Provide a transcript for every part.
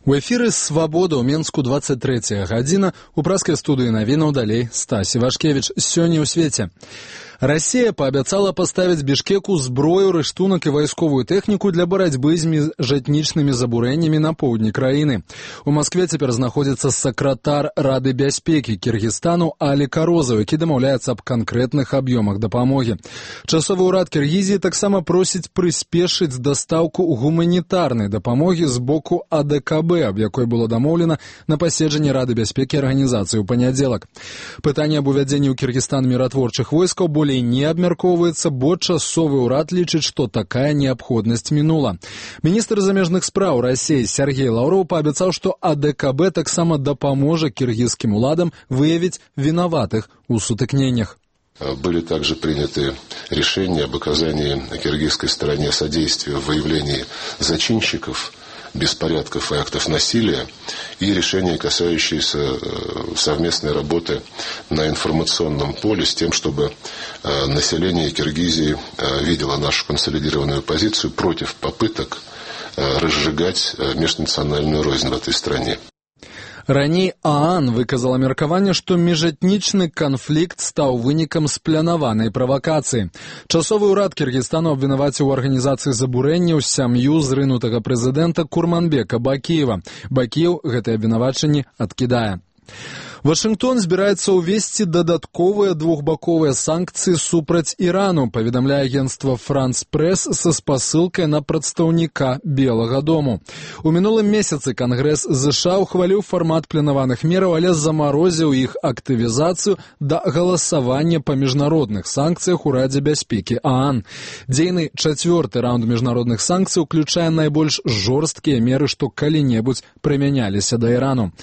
У эфіры «Свабода» ў Менску 23 гадзіна. У праскай студыі навінаў далей Стась Івашкевіч. Сёння ў свеце. Расія паабяцала паставіць Бішкеку зброю, рыштунак і вайсковую тэхніку для барацьбы з міжэтнічнымі забурэннямі на поўдні краіны. У Маскве цяпер знаходзіцца сакратар Рады бяспекі Кіргізстану Алі Карозаў, які дамаўляецца аб канкрэтных аб'ёмах дапамогі. Часовы ўрад Кіргізіі таксама просіць прыспешыць дастаўку гуманітарнай дапамогі з боку АДКБ, аб якой было дамоўлена на паседжанні Рады бяспекі арганізацыі ў панядзелак. Пытанне аб увядзенні ў Кіргізстан міратворчых войскаў болей не абмяркоўваецца, бо часовы ўрад лічыць, што такая неабходнасць мінула. Міністр замежных спраў Расіі Сергей Лаўроў паабяцаў, што АДКБ таксама дапаможа кіргізскім уладам выявіць вінаватых у сутыкненнях. Были также приняты решения об оказании киргизской стороне содействия в выявлении зачинщиков беспорядков и актов насилия и решения, касающиеся совместной работы на информационном поле с тем, чтобы население Киргизии видело нашу консолидированную позицию против попыток разжигать межнациональную рознь в этой стране. Раней ААН выказала меркаванне, што міжэтнічны канфлікт стаў вынікам спланаванай правакацыі. Часовы ўрад Кіргізстану абвінаваціў у арганізацыі забурэнняў сям'ю зрынутага прэзідэнта Курманбека Бакіева. Бакіев гэтае абвінавачанне адкідае. Вашынгтон збіраецца ўвесці дадатковыя двухбаковыя санкцыі супраць Ірану, паведамляе агенцтва «Франс Прэс» са спасылкай на прадстаўніка Белага дому. У мінулым месяцы Кангрэс ЗША ухваліў фармат планаваных мераў, але замарозіў іх актывізацыю да галасавання па міжнародных санкцыях у Радзе бяспекі ААН. Дзейны чацвёрты раунд міжнародных санкцый уключае найбольш жорсткія меры, што калі-небудзь прымяняліся да Ірану.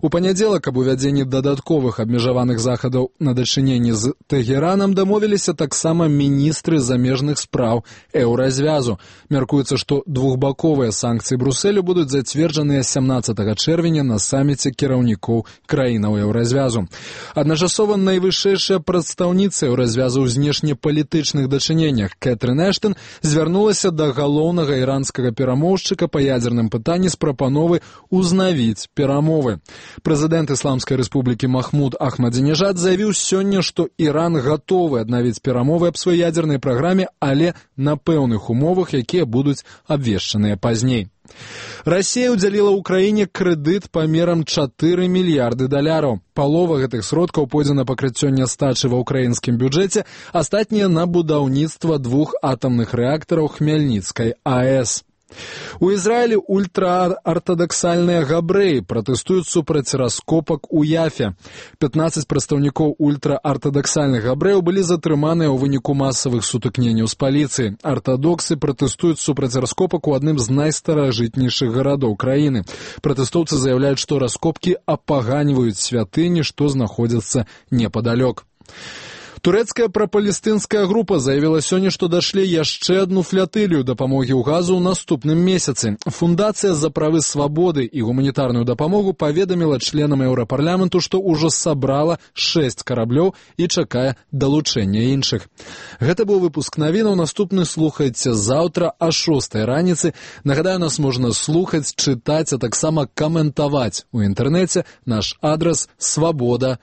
У панядзелак аб увядзенні дадатковых абмежаваных захадаў на дачыненні з Тэгеранам дамовіліся таксама міністры замежных спраў Еўразвязу. Мяркуецца, што двухбаковыя санкцыі Брусэлю будуць зацверджаныя 17 чэрвеня на саміце кіраўнікоў краінаў Еўразвязу. Адначасова найвышэйшая прадстаўніца Еўразвязу ў знешнепалітычных дачыненнях Кэтрын Эштон звярнулася да галоўнага іранскага перамоўшчыка па ядзерным пытанні з прапановай узнавіць перамовы. Прэзідэнт Ісламскай рэспублікі Махмуд Ахмадзінежад заявіў сёння, што Іран гатовы аднавіць перамовы аб сваёй ядзернай праграме, але на пэўных умовах, якія будуць абвешчаныя пазней. Расія ўдзяліла ўкраіне крэдыт памерам 4 мільярды даляраў. Палова гэтых сродкаў пойдзе на пакрыццё нястачы ва ўкраінскім бюджэце, астатнія на будаўніцтва 2 атамных рэактараў Хмельніцкай АЭС. У Ізраілі ультраартадаксальныя габрэі пратэстуюць супраць раскопак у Яфе. 15 прадстаўнікоў ультраартадаксальных габрэяў былі затрыманыя ў выніку масавых сутыкненняў з паліцыяй. Артадоксы пратэстуюць супраць раскопак у адным з найстаражытнейшых гарадоў краіны. Пратэстоўцы заяўляюць, што раскопкі апаганьваюць святыні, што знаходзяцца непадалёк. Турэцкая прапалестынская група заявіла сёння, што дашлі яшчэ адну флятылію дапамогі ў газу ў наступным месяцы. Фундацыя за правы свабоды і гуманітарную дапамогу паведаміла членам Еўрапарламенту, што ўжо сабрала 6 караблёў і чакае далучэння іншых. Гэта быў выпуск навінаў. Наступны слухайце заўтра о 6 раніцы. Нагадаю, нас можна слухаць, чытаць, а таксама каментаваць у інтэрнэце. Наш адрас свабода.орг.